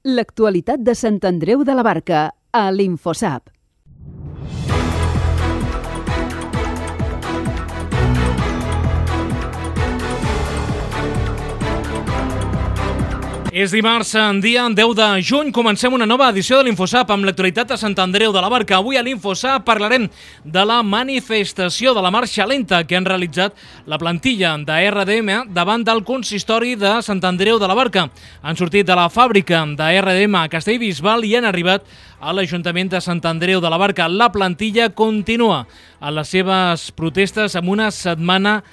L'actualitat de Sant Andreu de la Barca, a l'Infosap. És dimarts, dia 10 de juny, comencem una nova edició de l'Infosap amb l'actualitat de Sant Andreu de la Barca. Avui a l'Infosap parlarem de la manifestació de la marxa lenta que han realitzat la plantilla de RDM davant del consistori de Sant Andreu de la Barca. Han sortit de la fàbrica de RDM a Castellbisbal i han arribat a l'Ajuntament de Sant Andreu de la Barca. La plantilla continua a les seves protestes amb una setmana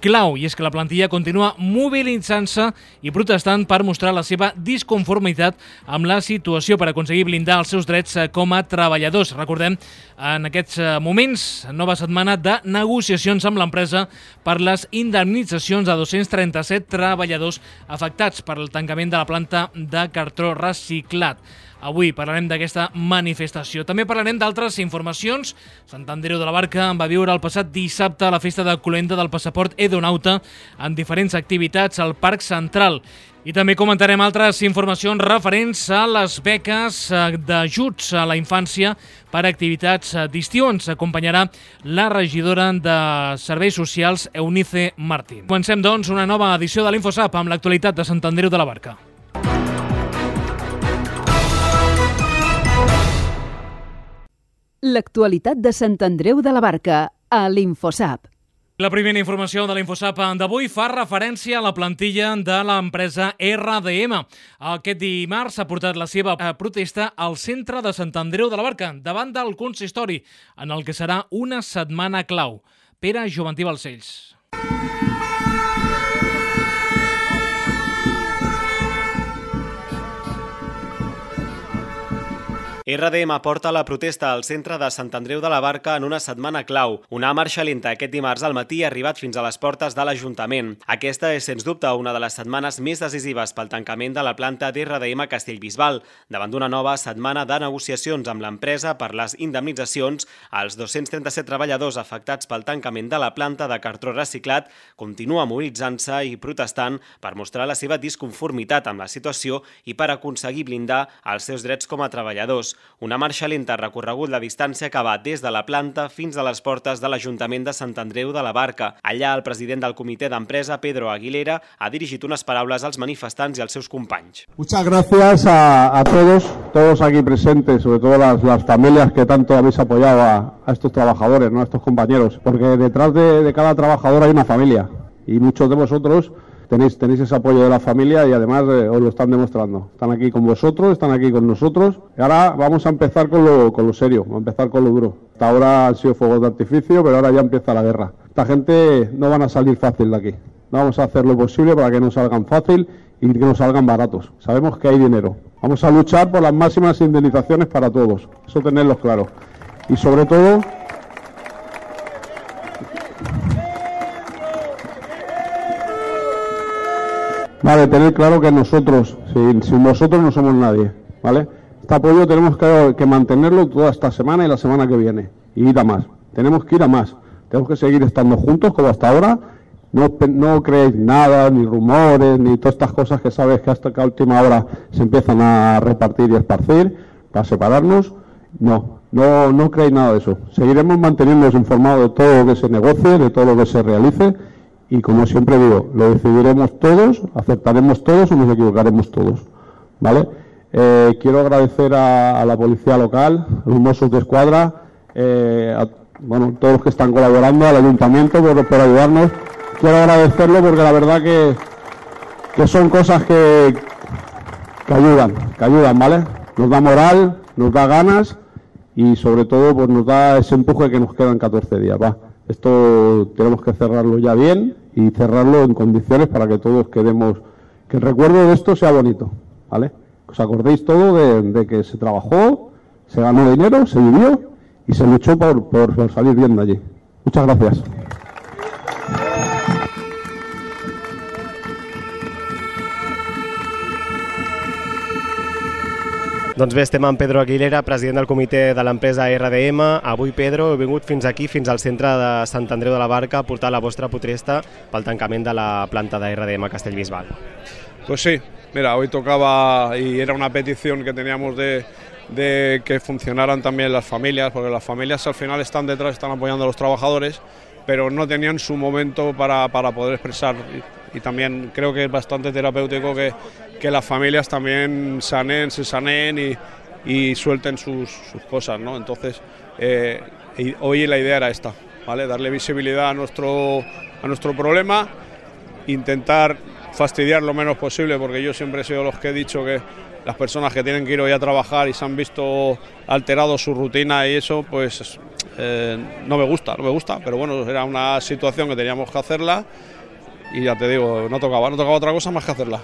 clau, i és que la plantilla continua mobilitzant-se i protestant per mostrar la seva disconformitat amb la situació per aconseguir blindar els seus drets com a treballadors. Recordem, en aquests moments, nova setmana de negociacions amb l'empresa per les indemnitzacions de 237 treballadors afectats per el tancament de la planta de cartró reciclat. Avui parlarem d'aquesta manifestació. També parlarem d'altres informacions. Sant Andreu de la Barca va viure el passat dissabte la festa de cloenda del passaport Edonauta en diferents activitats al Parc Central. I també comentarem altres informacions referents a les beques d'ajuts a la infància per a activitats d'estiu. Ens acompanyarà la regidora de Serveis Socials, Eunice Martín. Comencem, doncs, una nova edició de l'Infosap amb l'actualitat de Sant Andreu de la Barca. L'actualitat de Sant Andreu de la Barca, a l'Infosap. La primera informació de l'Infosap d'avui fa referència a la plantilla de l'empresa RDM. Aquest dimarts s'ha portat la seva protesta al centre de Sant Andreu de la Barca, davant del consistori, en el que serà una setmana clau. Pere Joventí Balcells. RDM porta la protesta al centre de Sant Andreu de la Barca en una setmana clau. Una marxa lenta aquest dimarts al matí ha arribat fins a les portes de l'Ajuntament. Aquesta és, sens dubte, una de les setmanes més decisives pel tancament de la planta d'RDM a Castellbisbal, davant d'una nova setmana de negociacions amb l'empresa per les indemnitzacions. Els 237 treballadors afectats pel tancament de la planta de cartró reciclat continua mobilitzant-se i protestant per mostrar la seva disconformitat amb la situació i per aconseguir blindar els seus drets com a treballadors. Una marxa lenta ha recorregut la distància que va des de la planta fins a les portes de l'Ajuntament de Sant Andreu de la Barca. Allà, el president del comitè d'empresa, Pedro Aguilera, ha dirigit unes paraules als manifestants i als seus companys. Muchas gracias a todos aquí presentes, sobre todo las familias que tanto habéis apoyado a estos trabajadores, ¿no? A estos compañeros, porque detrás de cada trabajador hay una familia y muchos de vosotros tenéis ese apoyo de la familia y además os lo están demostrando. Están aquí con vosotros, están aquí con nosotros. Y ahora vamos a empezar con lo serio, vamos a empezar con lo duro. Hasta ahora han sido fuegos de artificio, pero ahora ya empieza la guerra. Esta gente no van a salir fácil de aquí. No vamos a hacer lo posible para que no salgan fácil y que no salgan baratos. Sabemos que hay dinero. Vamos a luchar por las máximas indemnizaciones para todos. Eso tenerlo claro. Y sobre todo, vale, tener claro que nosotros, sin vosotros no somos nadie, ¿vale? Este apoyo tenemos que mantenerlo toda esta semana y la semana que viene, y ir a más. Tenemos que ir a más. Tenemos que seguir estando juntos como hasta ahora. No creéis nada, ni rumores, ni todas estas cosas que sabes que hasta que a última hora se empiezan a repartir y esparcir para separarnos. No creéis nada de eso. Seguiremos manteniéndonos informados de todo lo que se negocie, de todo lo que se realice. Y como siempre digo, lo decidiremos todos, aceptaremos todos o nos equivocaremos todos, ¿vale? Quiero agradecer a la policía local, a los Mossos de Escuadra, a todos los que están colaborando, al ayuntamiento por ayudarnos. Quiero agradecerlo porque la verdad que son cosas que ayudan, ¿vale? Nos da moral, nos da ganas y sobre todo pues nos da ese empuje que nos quedan 14 días, va. Esto tenemos que cerrarlo ya bien y cerrarlo en condiciones para que todos quedemos, que el recuerdo de esto sea bonito, ¿vale? Os acordéis todo de que se trabajó, se ganó dinero, se vivió y se luchó por salir bien de allí. Muchas gracias. Doncs bé, estem amb Pedro Aguilera, president del comitè de l'empresa RDM. Avui, Pedro, heu vingut fins aquí, fins al centre de Sant Andreu de la Barca, a portar la vostra protesta pel tancament de la planta de RDM a Castellbisbal. Pues sí, Mira, hoy tocaba y era una petición que teníamos de que funcionaran también las familias, porque las familias al final están detrás, están apoyando a los trabajadores, pero no tenían su momento para poder expresar. Y también creo que es bastante terapéutico que las familias también se saneen y suelten sus cosas, ¿no? Entonces, hoy la idea era esta, ¿vale? Darle visibilidad a nuestro problema, intentar fastidiar lo menos posible, porque yo siempre he sido los que he dicho que las personas que tienen que ir hoy a trabajar y se han visto alterado su rutina y eso, pues no me gusta, pero bueno, era una situación que teníamos que hacerla i ja te digo, no tocava otra cosa más que hacerla.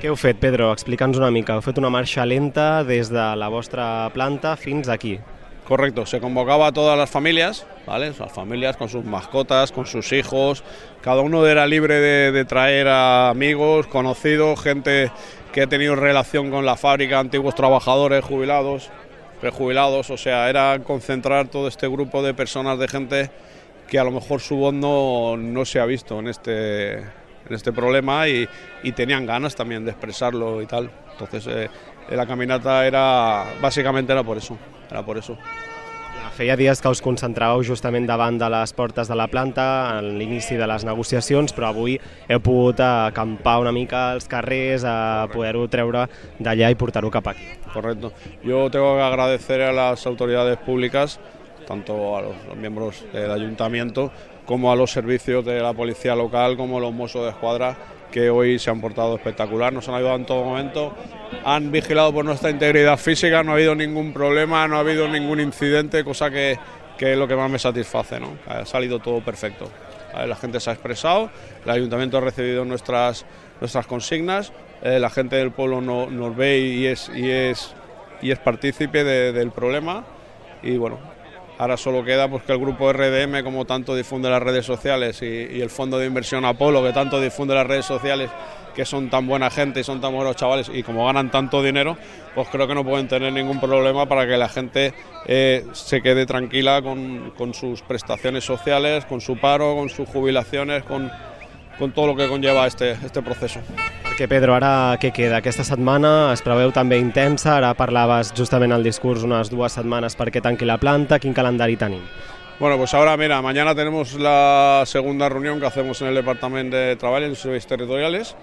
Què heu fet, Pedro? Explica'ns una mica. Heu fet una marxa lenta des de la vostra planta fins aquí. Correcto, se convocaba a todas las familias, ¿vale? Las familias con sus mascotas, con sus hijos, cada uno era libre de traer a amigos, conocidos, gente que ha tenido relación con la fábrica, antiguos trabajadores, jubilados, prejubilados, o sea, era concentrar todo este grupo de personas, de gente que a lo mejor su voz no se ha visto en este problema y tenían ganas también de expresarlo y tal. Entonces la caminata básicamente era por eso. Feia dies que us concentràveu justament davant de les portes de la planta en l'inici de les negociacions, però avui heu pogut acampar una mica als carrers, a poder-ho treure d'allà i portar-ho cap aquí. Correcto. Yo tengo que agradecer a las autoridades públicas, tanto a los miembros del ayuntamiento como a los servicios de la policía local, como los Mossos de Escuadra, que hoy se han portado espectacular, nos han ayudado en todo momento, han vigilado por nuestra integridad física, no ha habido ningún problema, no ha habido ningún incidente, cosa que es lo que más me satisface, ¿no? Ha salido todo perfecto. La gente se ha expresado, el ayuntamiento ha recibido nuestras consignas, la gente del pueblo nos ve y es partícipe del problema y bueno, ahora solo queda pues que el grupo RDM, como tanto difunde las redes sociales, y el Fondo de Inversión Apolo, que tanto difunde las redes sociales, que son tan buena gente y son tan buenos chavales, y como ganan tanto dinero, pues creo que no pueden tener ningún problema para que la gente se quede tranquila con sus prestaciones sociales, con su paro, con sus jubilaciones, con todo lo que conlleva este proceso. Perquè, Pedro, ara què queda? Aquesta setmana es preveu també intensa, ara parlaves justament al discurs unes 2 setmanes perquè tanqui la planta, quin calendari tenim? Bueno, pues ahora mira, mañana tenemos la segunda reunión que hacemos en el Departamento de Trabajo y en los servicios territoriales,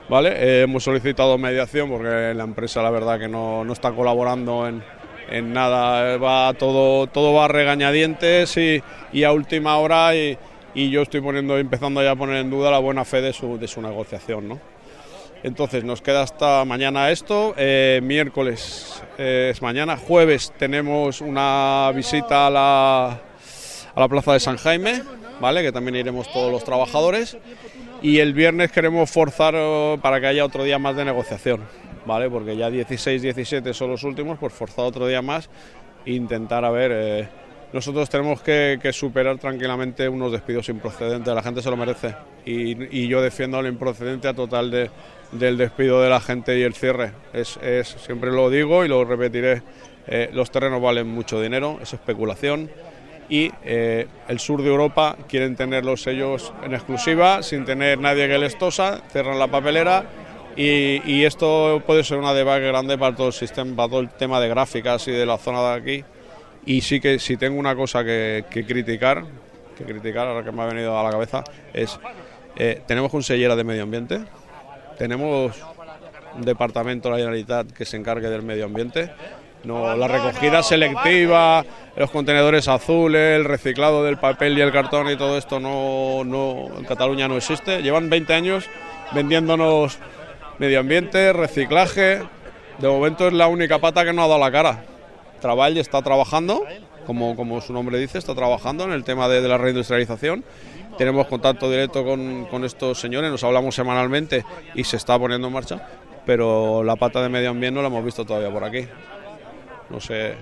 ¿vale? Hemos solicitado mediación porque la empresa la verdad que no está colaborando en nada, todo va a regañadientes y a última hora y yo estoy empezando ya a poner en duda la buena fe de su negociación, ¿no? Entonces nos queda hasta mañana esto, miércoles es mañana, jueves tenemos una visita a la plaza de San Jaime, ¿vale? Que también iremos todos los trabajadores, y el viernes queremos forzar para que haya otro día más de negociación, ¿vale? Porque ya 16, 17 son los últimos, pues forzar otro día más e intentar nosotros tenemos que superar tranquilamente unos despidos improcedentes, la gente se lo merece y yo defiendo la improcedencia total del despido de la gente y el cierre. Siempre lo digo y lo repetiré, los terrenos valen mucho dinero, es especulación y el sur de Europa quieren tenerlos ellos en exclusiva, sin tener nadie que les tosa, cierran la papelera y esto puede ser una debacle grande para todo el sistema, para todo el tema de gráficas y de la zona de aquí. Y sí que si tengo una cosa que criticar, ahora que me ha venido a la cabeza, es tenemos consellera de Medio Ambiente, tenemos un departamento de la Generalitat que se encargue del medio ambiente, no, la recogida selectiva, los contenedores azules, el reciclado del papel y el cartón y todo esto en Cataluña no existe, llevan 20 años vendiéndonos medio ambiente, reciclaje, de momento es la única pata que no ha dado la cara. Treball está trabajando, como su nombre dice, está trabajando en el tema de la reindustrialización. Tenemos contacto directo con estos señores, nos hablamos semanalmente y se está poniendo en marcha, pero la pata de medio ambiente no la hemos visto todavía por aquí. No sé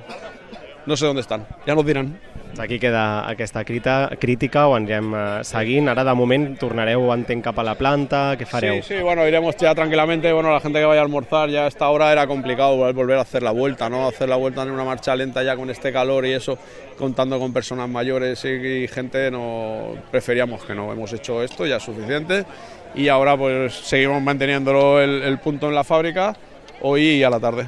no sé dónde están, ya nos dirán. Aquí queda aquesta crítica, ho anirem seguint. Ara, de moment, tornareu, entenc, cap a la planta, què fareu? Sí, bueno, iremos ya tranquilamente, bueno, la gente que vaya a almorzar, ya a esta hora era complicado volver a hacer la vuelta, ¿no? Hacer la vuelta en una marcha lenta ya con este calor y eso, contando con personas mayores y gente, no preferíamos que no, hemos hecho esto, ya es suficiente, y ahora pues seguimos manteniéndolo el punto en la fábrica, hoy y a la tarde.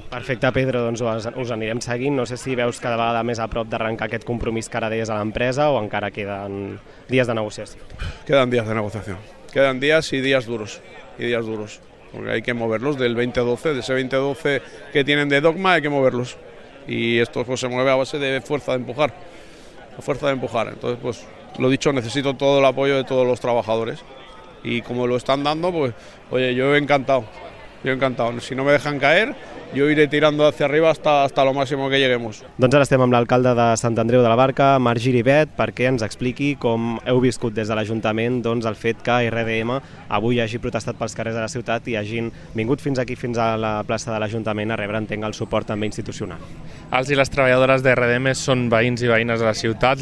Perfecte, Pedro, doncs us anirem seguint. No sé si veus cada vegada més a prop d'arrencar aquest compromís que ara deies a l'empresa o encara queden dies de negociació. Quedan días de negociación, quedan días y días duros, porque hay que moverlos del 2012, de ese 2012 que tienen de dogma hay que moverlos, y esto pues se mueve a base de fuerza de empujar, entonces pues lo dicho, necesito todo el apoyo de todos los trabajadores, y como lo están dando, pues oye, yo encantado, si no me dejan caer, jo iré tirando hacia arriba hasta lo máximo que lleguemos. Doncs ara estem amb l'alcalde de Sant Andreu de la Barca, Marc Giribet, perquè ens expliqui com heu viscut des de l'Ajuntament el fet que RDM avui hagi protestat pels carrers de la ciutat i hagin vingut fins aquí, fins a la plaça de l'Ajuntament, a rebre, entenc, el suport també institucional. Els i les treballadores de RDM són veïns i veïnes de la ciutat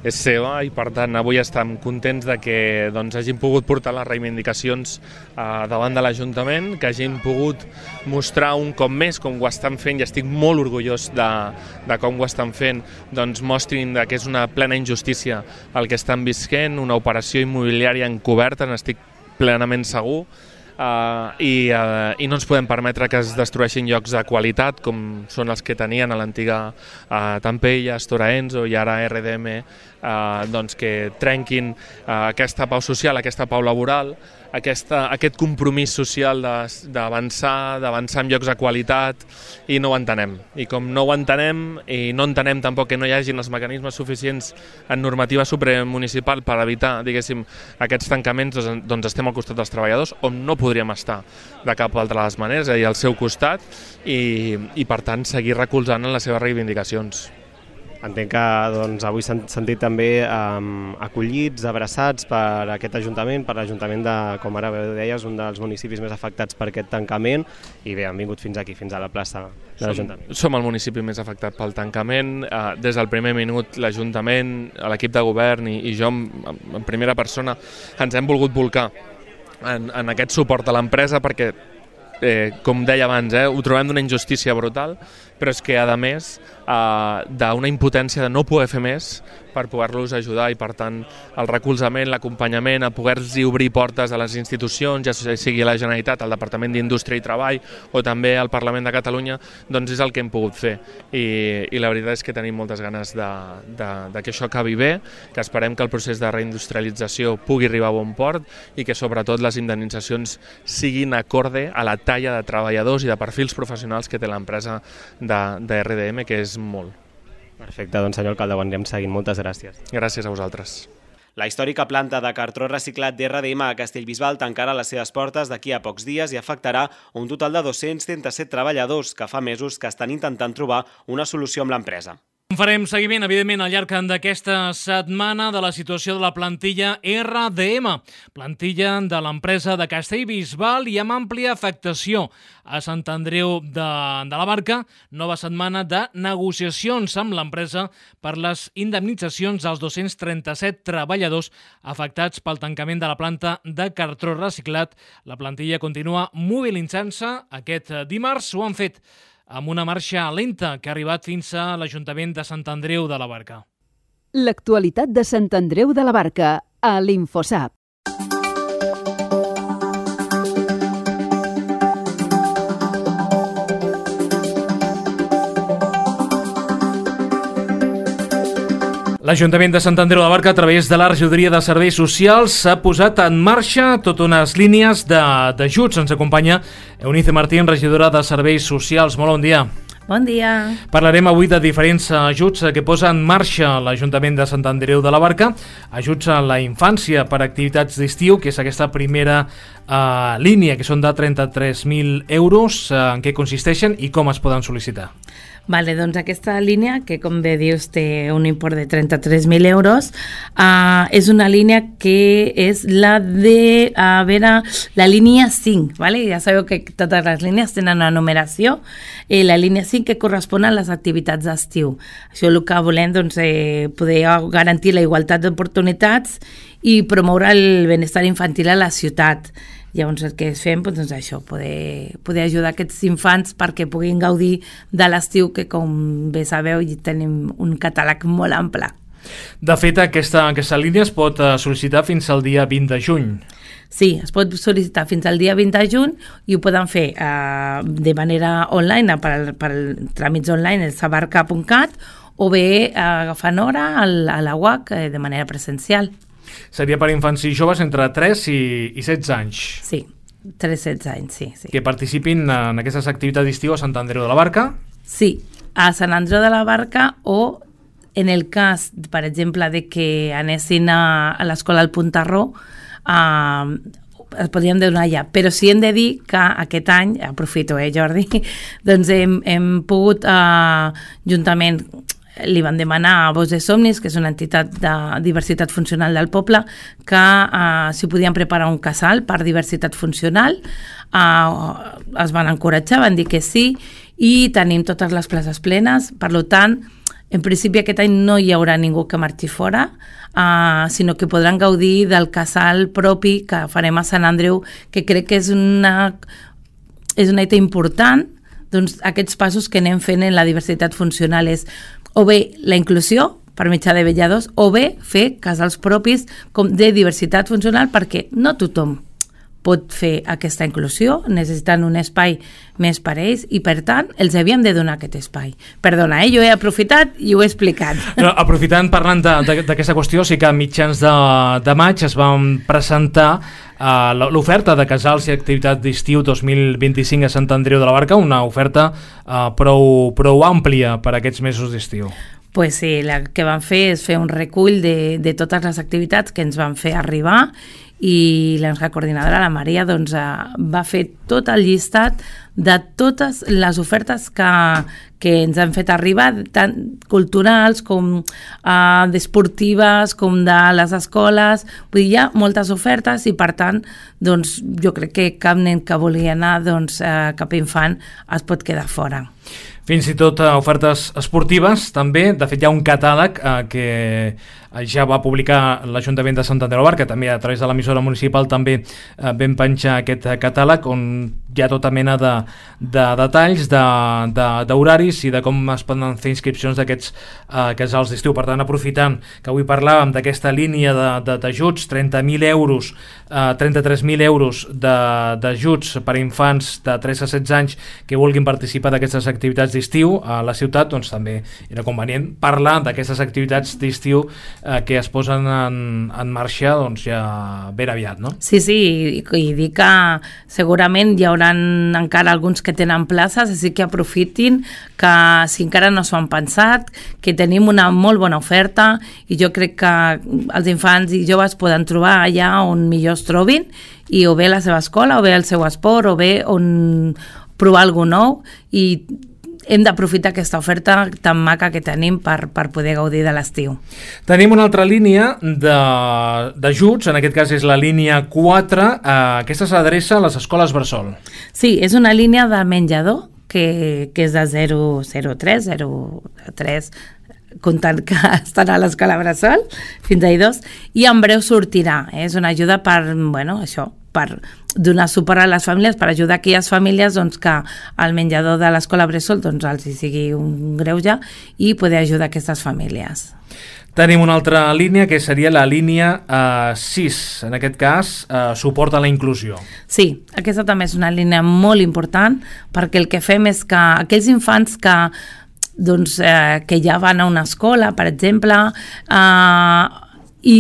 és seva i per tant avui estem contents de que hagin pogut portar les reivindicacions davant de l'Ajuntament, que hagin pogut mostrar un cop més com ho estan fent, i estic molt orgullós de com ho estan fent, mostrin que és una plena injustícia el que estan visquent, una operació immobiliària encoberta, n'estic plenament segur, i no ens podem permetre que es destrueixin llocs de qualitat com són els que tenien a l'antiga Tampella, Stora Enso i ara RDM, que trenquin aquesta pau social, aquesta pau laboral, aquest compromís social d'avançar en llocs de qualitat, i no ho entenem. I com no ho entenem, i no entenem tampoc que no hi hagin els mecanismes suficients en normativa supramunicipal per evitar, diguéssim, aquests tancaments, doncs estem al costat dels treballadors, on no podríem estar de cap altra de les maneres, és a dir, al seu costat, i per tant seguir recolzant en les seves reivindicacions. Entenc que avui s'han sentit també acollits, abraçats per aquest Ajuntament, per l'Ajuntament de, com ara deies, un dels municipis més afectats per aquest tancament, i bé, han vingut fins aquí, fins a la plaça de l'Ajuntament. Som el municipi més afectat pel tancament. Des del primer minut l'Ajuntament, l'equip de govern i jo en primera persona ens hem volgut volcar en aquest suport a l'empresa perquè, com deia abans, ho trobem d'una injustícia brutal, però és que, a més, d'una impotència de no poder fer més per poder-los ajudar, i per tant el recolzament, l'acompanyament, a poder-los obrir portes a les institucions, ja sigui a la Generalitat, al Departament d'Indústria i Treball o també al Parlament de Catalunya, doncs és el que hem pogut fer, i la veritat és que tenim moltes ganes de que això acabi bé, que esperem que el procés de reindustrialització pugui arribar a bon port i que sobretot les indemnitzacions siguin acorde a la talla de treballadors i de perfils professionals que té l'empresa de RDM, que és molt. Perfecte, doncs senyor alcalde, ho anirem seguint. Moltes gràcies. Gràcies a vosaltres. La històrica planta de cartró reciclat d'RDM a Castellbisbal tancarà les seves portes d'aquí a pocs dies i afectarà un total de 237 treballadors que fa mesos que estan intentant trobar una solució amb l'empresa. Farem seguiment, evidentment, al llarg d'aquesta setmana de la situació de la plantilla RDM, plantilla de l'empresa de Castellbisbal i amb àmplia afectació a Sant Andreu de la Barca. Nova setmana de negociacions amb l'empresa per les indemnitzacions dels 237 treballadors afectats pel tancament de la planta de cartró reciclat. La plantilla continua mobilitzant-se. Aquest dimarts ho han fet amb una marxa lenta que ha arribat fins a l'Ajuntament de Sant Andreu de la Barca. L'actualitat de Sant Andreu de la Barca a l'Infosap. L'Ajuntament de Sant Andreu de la Barca, a través de la Regidoria de Serveis Socials, s'ha posat en marxa totes unes línies d'ajuts. Ens acompanya Eunice Martín, regidora de Serveis Socials. Molt bon dia. Bon dia. Parlarem avui de diferents ajuts que posa en marxa l'Ajuntament de Sant Andreu de la Barca. Ajuts a la infància per activitats d'estiu, que és aquesta primera línia, que són de 33.000 euros. En què consisteixen i com es poden sol·licitar? Vale, doncs aquesta línia, que com bé dius té un import de 33.000 euros, és una línia que és la de, la línia 5, ¿vale? Ja sabeu que totes les línies tenen una numeració, la línia coneixin què corresponen les activitats d'estiu. Això el que volem, doncs, poder garantir la igualtat d'oportunitats i promoure el benestar infantil a la ciutat. Llavors el que fem, doncs això, poder ajudar aquests infants perquè puguin gaudir de l'estiu, que com bé sabeu tenim un catàleg molt ample. De fet, aquesta línia es pot sol·licitar fins al dia 20 de juny. Sí, es pot sol·licitar fins al dia 20 de juny i ho poden fer de manera online, per tràmits online, el sabarca.cat, o bé agafant hora a la UAC de manera presencial. Seria per infants i joves entre 3 i 16 anys. Sí, 3-16 anys, sí. Que participin en aquestes activitats d'estiu a Sant Andreu de la Barca? Sí, a Sant Andreu de la Barca, o en el cas, per exemple, de que anessin a l'escola al Puntarró, es podríem donar ja. Però sí hem de dir que aquest any, aprofito, Jordi, doncs hem pogut, juntament, li van demanar a Voz de Somnis, que és una entitat de diversitat funcional del poble, que si podien preparar un casal per diversitat funcional. Es van encoratjar, van dir que sí, i tenim totes les places plenes. Per tant, en principi aquest any no hi haurà ningú que marxi fora, sinó que podran gaudir del casal propi que farem a Sant Andreu, que crec que és una hita important. Doncs aquests passos que anem fent en la diversitat funcional és o bé la inclusió per mitjà de vetlladors, o bé fer casals propis de diversitat funcional, perquè no tothom pot fer aquesta inclusió, necessiten un espai més per ells i, per tant, els havíem de donar aquest espai. Perdona, jo he aprofitat i ho he explicat. No, aprofitant, parlant d'aquesta qüestió, sí que a mitjans de maig es van presentar l'oferta de casals i activitats d'estiu 2025 a Sant Andreu de la Barca, una oferta prou àmplia per a aquests mesos d'estiu. Pues sí, el que vam fer és fer un recull de totes les activitats que ens van fer arribar, i la nostra coordinadora, la Maria, doncs, va fer tot el llistat de totes les ofertes que ens han fet arribar, tant culturals com d'esportives, com de les escoles. Vull dir, hi ha moltes ofertes i, per tant, doncs, jo crec que cap nen que vulgui anar, doncs, cap infant es pot quedar fora. Fins i tot ofertes esportives, també. De fet, hi ha un catàleg que ja va publicar l'Ajuntament de Sant Andreu de la Barca, també a través de l'emissora municipal també vam penjar aquest catàleg on hi ha tota mena de detalls, d'horaris i de com es poden fer inscripcions d'aquests casals d'estiu. Per tant, aprofitant que avui parlàvem d'aquesta línia d'ajuts, 30.000 euros, 33.000 euros d'ajuts per a infants de 3 a 16 anys que vulguin participar d'aquestes activitats d'estiu a la ciutat, doncs també era convenient parlar d'aquestes activitats d'estiu que es posen en marxa doncs ja ben aviat, no? Sí, i dir que segurament hi haurà encara alguns que tenen places, així que aprofitin, que si encara no s'ho han pensat, que tenim una molt bona oferta i jo crec que els infants i joves poden trobar allà on millor es trobin, i o bé la seva escola, o bé el seu esport, o bé on provar alguna nou, i hem d'aprofitar aquesta oferta tan maca que tenim per poder gaudir de l'estiu. Tenim una altra línia d'ajuts, en aquest cas és la línia 4, aquesta s'adreça a les escoles bressol. Sí, és una línia de menjador que és de 0,3, comptant que estan a l'escola bressol, fins a 2, i en breu sortirà. És una ajuda per donar suport a les famílies, per ajudar aquelles famílies doncs, que el menjador de l'escola bressol doncs, els sigui un greuge i poder ajudar aquestes famílies. Tenim una altra línia que seria la línia 6, en aquest cas suport a la inclusió. Sí, aquesta també és una línia molt important, perquè el que fem és que aquells infants que ja van a una escola, per exemple, i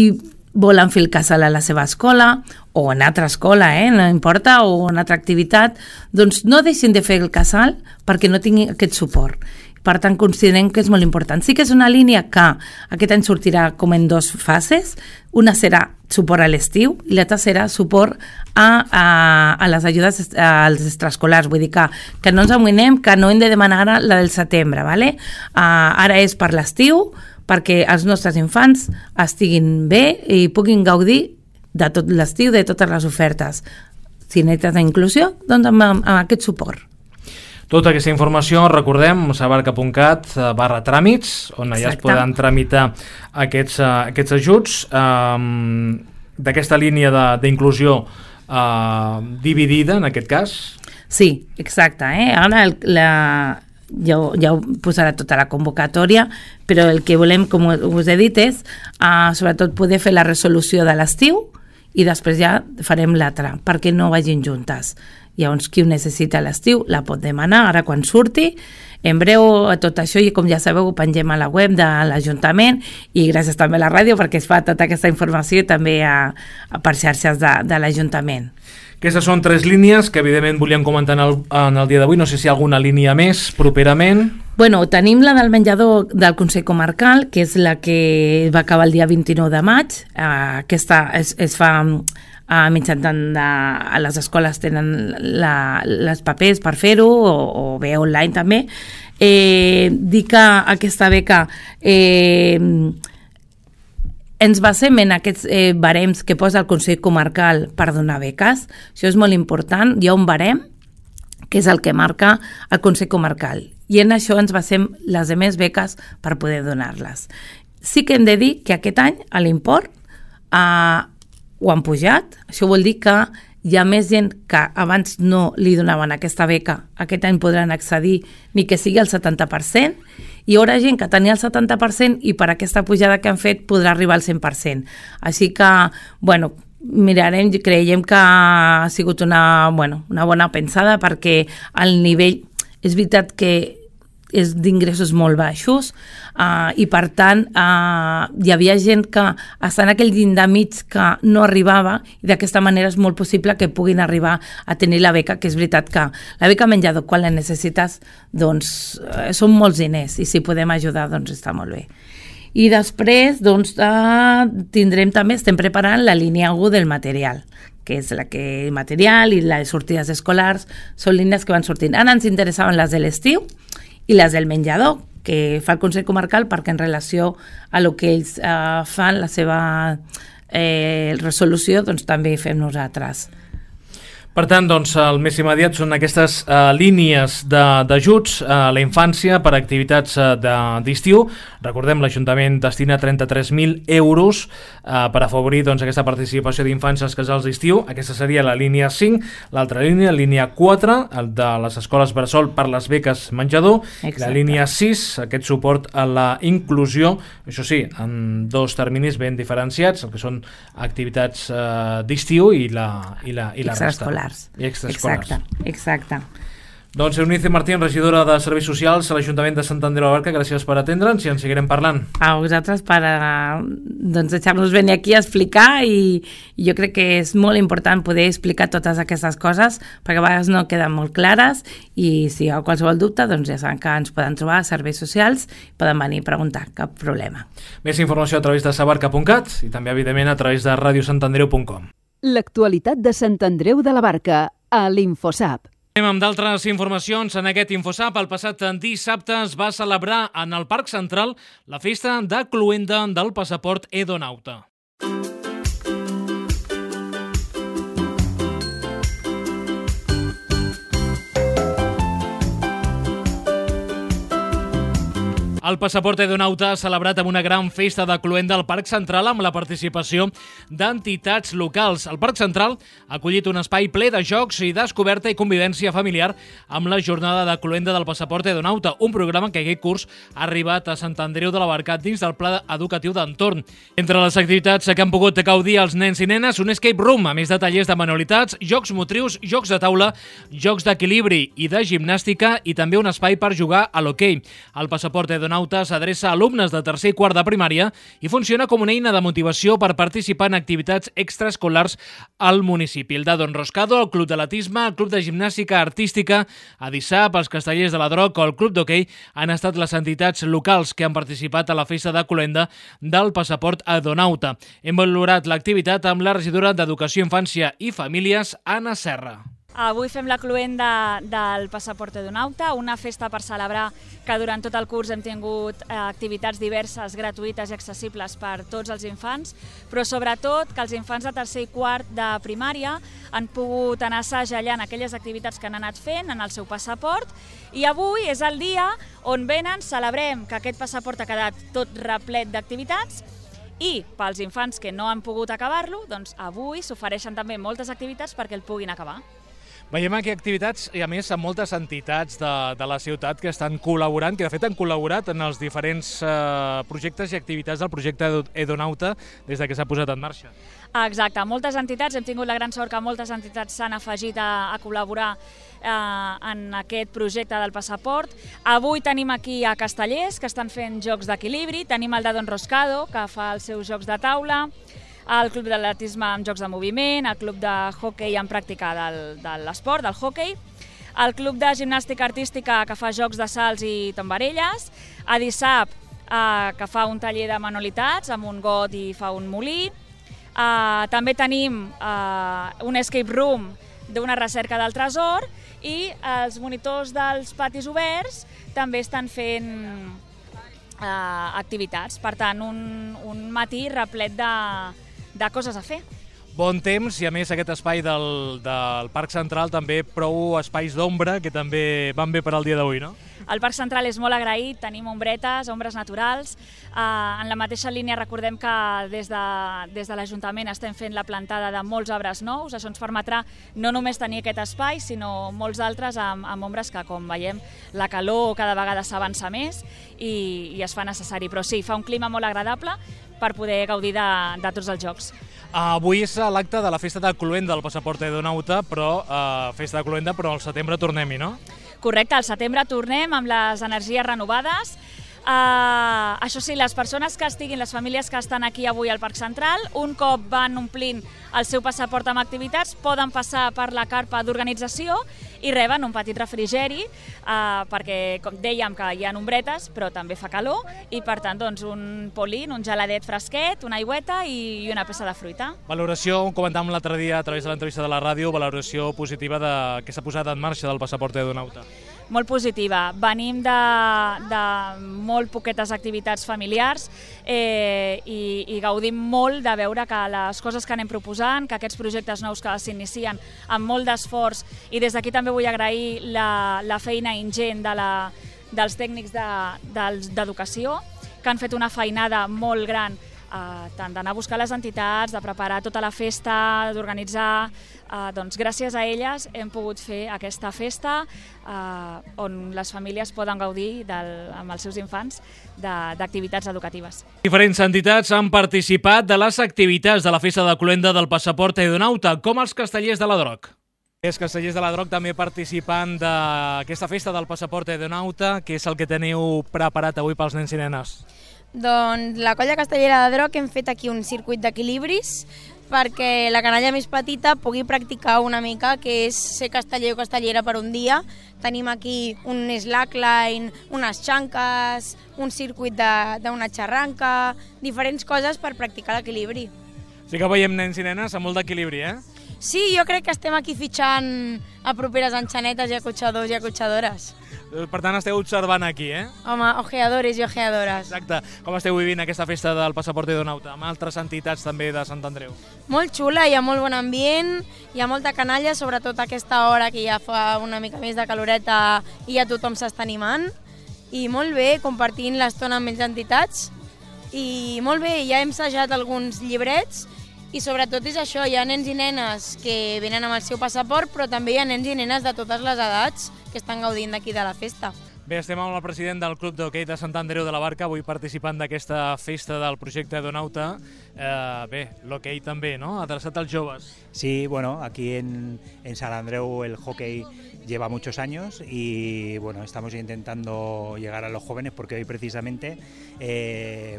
volen fer el casal a la seva escola o en altra escola, no importa, o en altra activitat, doncs no deixin de fer el casal perquè no tinguin aquest suport. Per tant, considerem que és molt important. Sí que és una línia que aquest any sortirà com en 2 fases. Una serà suport a l'estiu i l'altra serà suport a les ajudes als extraescolars. Vull dir que no ens amoïnem, que no hem de demanar ara la del setembre. ¿vale? Ara és per l'estiu, perquè els nostres infants estiguin bé i puguin gaudir de tot l'estiu, de totes les ofertes. Si necessites inclusió, doncs amb aquest suport. Tota aquesta informació, recordem, sabarca.cat/tràmits, on ja es poden tramitar aquests ajuts d'aquesta línia d'inclusió dividida, en aquest cas. Sí, exacte. Ara ja ho posarà tota la convocatòria, però el que volem, com us he dit, és sobretot poder fer la resolució de l'estiu i després ja farem l'altra, perquè no vagin juntes. Llavors, qui ho necessita a l'estiu la pot demanar ara quan surti. En breu, tot això, i com ja sabeu, ho pengem a la web de l'Ajuntament i gràcies també a la ràdio perquè es fa tota aquesta informació també per xarxes de l'Ajuntament. Aquestes són 3 línies que evidentment volíem comentar en el dia d'avui. No sé si hi ha alguna línia més properament. Bueno, tenim la del menjador del Consell Comarcal, que és la que va acabar el dia 29 de maig. Aquesta es fa mitjançant a les escoles tenen les papers per fer-ho o bé online també. Dir que aquesta beca ens basem en aquests barems que posa el Consell Comarcal per donar beques. Això és molt important. Hi ha un barem que és el que marca el Consell Comarcal i en això ens basem les demés beques per poder donar-les. Sí que hem de dir que aquest any a l'import ho han pujat. Això vol dir que hi ha més gent que abans no li donaven aquesta beca, aquest any podran accedir ni que sigui al 70%, i hi haurà gent que tenia el 70% i per aquesta pujada que han fet podrà arribar al 100%. Així que, bueno, creiem que ha sigut una bona pensada perquè el nivell, és veritat que és d'ingressos molt baixos i per tant hi havia gent que està en aquell llindar mig que no arribava i d'aquesta manera és molt possible que puguin arribar a tenir la beca, que és veritat que la beca menjador quan la necessites doncs són molts diners i si podem ajudar doncs està molt bé. I després doncs tindrem també, estem preparant la línia 1 del material, que és la que material i les sortides escolars són línies que van sortint. Ara ens interessaven les de l'estiu i les del menjador, que fa el Consell Comarcal perquè en relació a lo que ells fan, la seva resolució, doncs també fem nosaltres. Per tant, doncs, el més immediat són aquestes línies d'ajuts a la infància per a activitats d'estiu. Recordem, l'Ajuntament destina 33.000 euros per afavorir aquesta participació d'infants als casals d'estiu. Aquesta seria la línia 5. L'altra línia 4, el de les escoles bressol per les beques menjador. Exacte. La línia 6, aquest suport a la inclusió, això sí, en 2 terminis ben diferenciats, el que són activitats d'estiu i la resta. I extraescolars. Exacte. Doncs Eunice Martín, regidora de Serveis Socials a l'Ajuntament de Sant Andreu de la Barca, gràcies per atendre'ns i ens seguirem parlant. A vosaltres per deixar-nos venir aquí a explicar i jo crec que és molt important poder explicar totes aquestes coses perquè a vegades no queden molt clares i si hi ha qualsevol dubte doncs ja saben que ens poden trobar a Serveis Socials i poden venir a preguntar, cap problema. Més informació a través de sabarca.cat i també evidentment a través de radiosantandreu.com. L'actualitat de Sant Andreu de la Barca a l'Infosap. Anem amb d'altres informacions. En aquest Infosap, el passat dissabte es va celebrar en el Parc Central la festa de cloenda del passaport Edonauta. El passaport Edonauta ha celebrat amb una gran festa de cloenda al Parc Central amb la participació d'entitats locals. El Parc Central ha acollit un espai ple de jocs i descoberta i convivència familiar amb la jornada de cloenda del passaport Edonauta, un programa que aquest curs ha arribat a Sant Andreu de la Barca dins del pla educatiu d'entorn. Entre les activitats que han pogut gaudir els nens i nenes, un escape room, a més de tallers de manualitats, jocs motrius, jocs de taula, jocs d'equilibri i de gimnàstica i també un espai per jugar a l'hoquei. El passaport Edonauta s'adreça a alumnes de tercer i quart de primària i funciona com una eina de motivació per participar en activitats extraescolars al municipi. El de Don Roscado, el Club d'Atletisme, el Club de Gimnàstica Artística, Adissap, els Castellers de la Droc o el Club d'Hoquei han estat les entitats locals que han participat a la festa de cloenda del passaport Edonauta. Hem valorat l'activitat amb la regidora d'Educació, Infància i Famílies, Anna Serra. Avui fem la cloenda del Passaport Edonauta, una festa per celebrar que durant tot el curs hem tingut activitats diverses, gratuïtes i accessibles per tots els infants, però sobretot que els infants de tercer i quart de primària han pogut anar assajallant aquelles activitats que han anat fent en el seu passaport, i avui és el dia on venen, celebrem que aquest passaport ha quedat tot replet d'activitats, i pels infants que no han pogut acabar-lo, doncs avui s'ofereixen també moltes activitats perquè el puguin acabar. Veiem aquí activitats i a més amb moltes entitats de la ciutat que estan col·laborant, que de fet han col·laborat en els diferents projectes i activitats del projecte Edonauta des que s'ha posat en marxa. Exacte, moltes entitats, hem tingut la gran sort que moltes entitats s'han afegit a col·laborar en aquest projecte del passaport. Avui tenim aquí a Castellers, que estan fent jocs d'equilibri, tenim el de Don Roscado, que fa els seus jocs de taula, el club d'atletisme amb jocs de moviment, el club de hoquei en pràctica de l'esport, del hoquei, el club de gimnàstica artística que fa jocs de salts i tombarelles, a Dissap, que fa un taller de manualitats amb un got i fa un molí, també tenim un escape room d'una recerca del tresor, i els monitors dels patis oberts també estan fent activitats. Per tant, un matí replet de coses a fer. Bon temps i a més aquest espai del Parc Central també prou espais d'ombra que també van bé per al dia d'avui, no? El Parc Central és molt agraït, tenim ombretes, ombres naturals. En la mateixa línia recordem que des de l'Ajuntament estem fent la plantada de molts arbres nous. Això ens permetrà no només tenir aquest espai, sinó molts altres amb ombres que, com veiem, la calor cada vegada s'avança més i es fa necessari. Però sí, fa un clima molt agradable per poder gaudir de tots els jocs. Avui és l'acte de la festa de cloenda del Passaport Edonauta, però festa de cloenda, però al setembre tornem-hi, no? Correcte, al setembre tornem amb les energies renovades. Això sí, les persones que estiguin, les famílies que estan aquí avui al Parc Central, un cop van omplint el seu passaport amb activitats, poden passar per la carpa d'organització i reben un petit refrigeri, perquè, com dèiem, que hi ha ombretes, però també fa calor, i per tant, doncs, un polín, un geladet fresquet, una aigüeta i una peça de fruita. Valoració, ho comentàvem l'altre dia a través de l'entrevista de la ràdio, valoració positiva que s'ha posat en marxa del Passaport Edonauta. Molt positiva. Venim de molt poquetes activitats familiars i gaudim molt de veure que les coses que anem proposant, que aquests projectes nous que s'inicien amb molt d'esforç, i des d'aquí també vull agrair la feina ingent dels tècnics d'educació, que han fet una feinada molt gran, tant d'anar a buscar les entitats, de preparar tota la festa, d'organitzar. Doncs gràcies a elles hem pogut fer aquesta festa on les famílies poden gaudir amb els seus infants d'activitats educatives. Diferents entitats han participat de les activitats de la festa de cloenda del Passaport Edonauta, com els Castellers de la Droc. Els Castellers de la Droc també participant d'aquesta festa del Passaport Edonauta. Què és el que teniu preparat avui pels nens i nenes? Doncs la colla castellera de Droc hem fet aquí un circuit d'equilibris perquè la canalla més petita pugui practicar una mica, que és ser casteller o castellera per un dia. Tenim aquí un slackline, unes xanques, un circuit d'una xarranca, diferents coses per practicar l'equilibri. Sí que veiem nens i nenes amb molt d'equilibri, eh? Sí, jo crec que estem aquí fitxant a properes enxanetes i acotxadors i acotxadores. Per tant, esteu observant aquí, eh? Home, ojeadores i ojeadores. Exacte. Com esteu vivint aquesta festa del Passaport Edonauta, amb altres entitats també de Sant Andreu? Molt xula, hi ha molt bon ambient, hi ha molta canalla, sobretot a aquesta hora que ja fa una mica més de caloreta i ja tothom s'està animant. I molt bé, compartint l'estona amb les entitats. I molt bé, ja hem assajat alguns llibrets i sobretot és això, hi ha nens i nenes que venen amb el seu passaport, però també hi ha nens i nenes de totes les edats que estan gaudint d'aquí de la festa. Bé, estem amb el president del Club d'Hoquei de Sant Andreu de la Barca, avui participant d'aquesta festa del projecte Edonauta. Bé, l'hoquei també, ¿no? Adreçat als joves. Sí, bueno, aquí en Sant Andreu el hockey lleva muchos años y bueno, estamos intentando llegar a los jóvenes porque hoy precisamente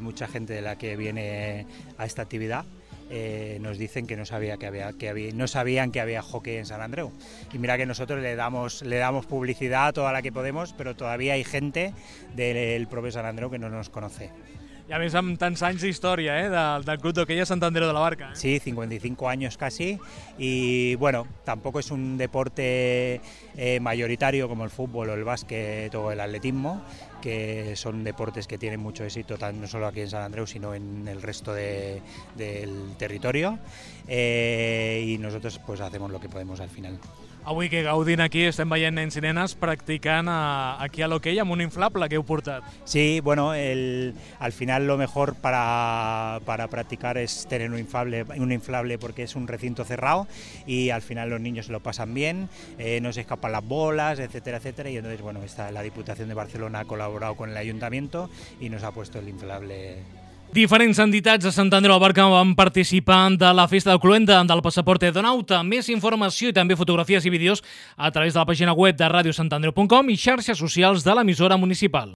mucha gente de la que viene a esta actividad nos dicen que no sabían que había hockey en Sant Andreu. Y mira que nosotros le damos publicidad toda la que podemos, pero todavía hay gente del propio Sant Andreu que no nos conoce. I a més amb tants anys d'història del Club d'Hoquei a Sant Andreu de la Barca. Sí, 55 años casi, y bueno, tampoco es un deporte mayoritario como el fútbol o el básquet o el atletismo, que son deportes que tienen mucho éxito no solo aquí en Sant Andreu, sino en el resto del territorio, y nosotros pues hacemos lo que podemos al final. Avui que gaudint aquí estem veient nens i nenes practicant aquí a l'hoquei amb un inflable que heu portat. Sí, bueno, al final lo mejor para practicar es tener un inflable porque es un recinto cerrado y al final los niños se lo pasan bien, no se escapan las bolas, etcétera, etcétera, y entonces bueno, la Diputación de Barcelona ha colaborado con el Ayuntamiento y nos ha puesto el inflable. Diferents entitats de Sant Andreu de la Barca van participar de la festa del Cluenda del Passaport Donauta. Més informació i també fotografies i vídeos a través de la pàgina web de radiosantandreu.com i xarxes socials de l'emissora municipal.